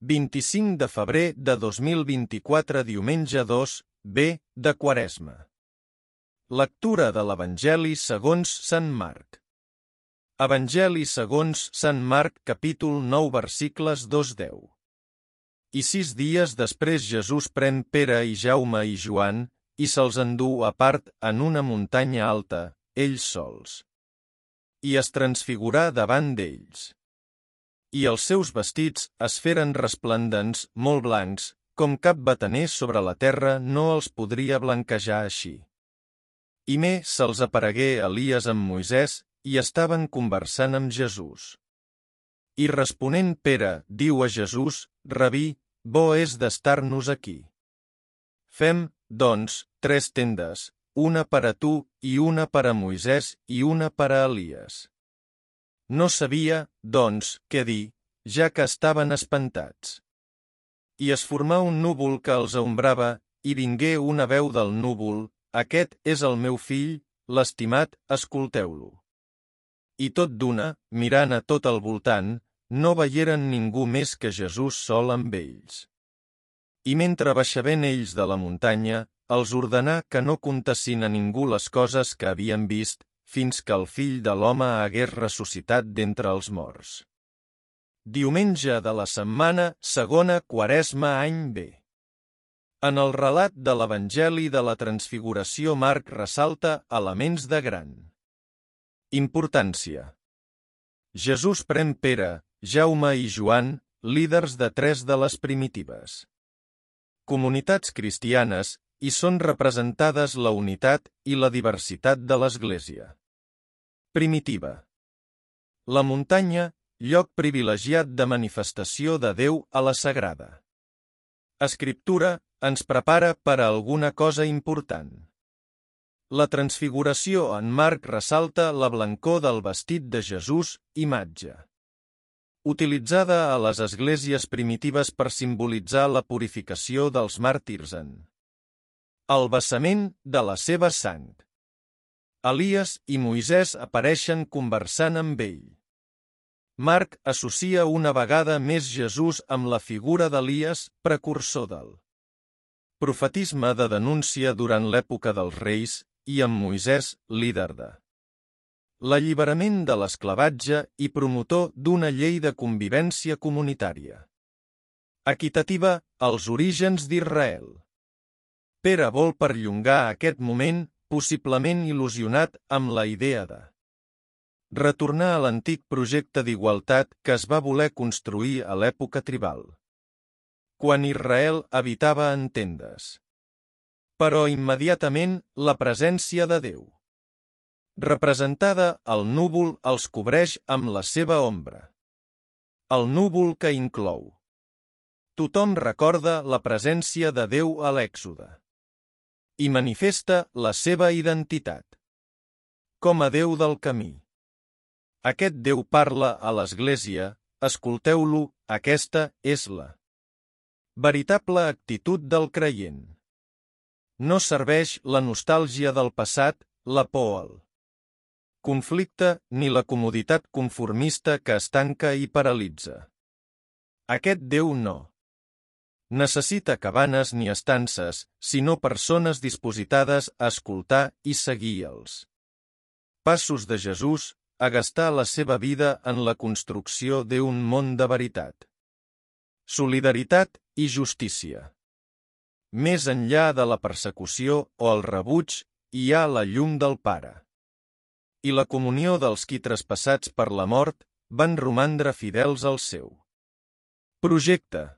25 de febrer de 2024, diumenge 2, B, de Quaresma. Lectura de l'Evangeli segons Sant Marc. Evangeli segons Sant Marc, capítol 9, versicles 2-10. I 6 dies després Jesús pren Pere i Jaume i Joan i se'ls endú a part en una muntanya alta, ells sols. I es transfigurà davant d'ells. I els seus vestits es feren resplendents, molt blancs, com cap bataner sobre la terra no els podria blanquejar així. I més se'ls aparegué Elies amb Moisès i estaven conversant amb Jesús. I responent Pere, diu a Jesús, Rabí, bo és d'estar-nos aquí. Fem, doncs, 3 tendes, una per a tu i una per a Moisès i una per a Elies. No sabia, doncs, què dir, ja que estaven espantats. I es formà un núvol que els aombrava, i vingué una veu del núvol, aquest és el meu fill, l'estimat, escolteu-lo. I tot d'una, mirant a tot al voltant, no veieren ningú més que Jesús sol amb ells. I mentre baixaven ells de la muntanya, els ordenà que no contessin a ningú les coses que havien vist, fins que el fill de l'home hagués ressuscitat d'entre els morts. Diumenge de la setmana, segona Quaresma, any B. En el relat de l'Evangeli de la Transfiguració, Marc ressalta elements de gran importància. Jesús pren Pere, Jaume i Joan, líders de 3 de les primitives comunitats cristianes, i són representades la unitat i la diversitat de l'Església primitiva. La muntanya, lloc privilegiat de manifestació de Déu a la Sagrada Escriptura, ens prepara per a alguna cosa important. La transfiguració en Marc ressalta la blancor del vestit de Jesús, imatge utilitzada a les esglésies primitives per simbolitzar la purificació dels màrtirs en el vessament de la seva sang. Elies i Moisès apareixen conversant amb ell. Marc associa una vegada més Jesús amb la figura d'Elies, precursor del profetisme de denúncia durant l'època dels reis, i amb Moisès, líder de l'alliberament de l'esclavatge i promotor d'una llei de convivència comunitària equitativa als orígens d'Israel. Pere vol perllongar aquest moment, possiblement il·lusionat amb la idea de retornar a l'antic projecte d'igualtat que es va voler construir a l'època tribal, quan Israel habitava en tendes. Però immediatament la presència de Déu, representada al núvol, els cobreix amb la seva ombra. El núvol que inclou. Tothom recorda la presència de Déu a l'Èxode i manifesta la seva identitat com a Déu del camí. Aquest Déu parla a l'Església, escolteu-lo, aquesta és la veritable actitud del creient. No serveix la nostàlgia del passat, la por al conflicte ni la comoditat conformista que estanca i paralitza. Aquest Déu no necessita cabanes ni estances, sinó persones dispositades a escoltar i seguir els passos de Jesús, a gastar la seva vida en la construcció d'un món de veritat, solidaritat i justícia. Més enllà de la persecució o el rebuig, hi ha la llum del Pare. I la comunió dels qui, traspassats per la mort, van romandre fidels al seu projecte.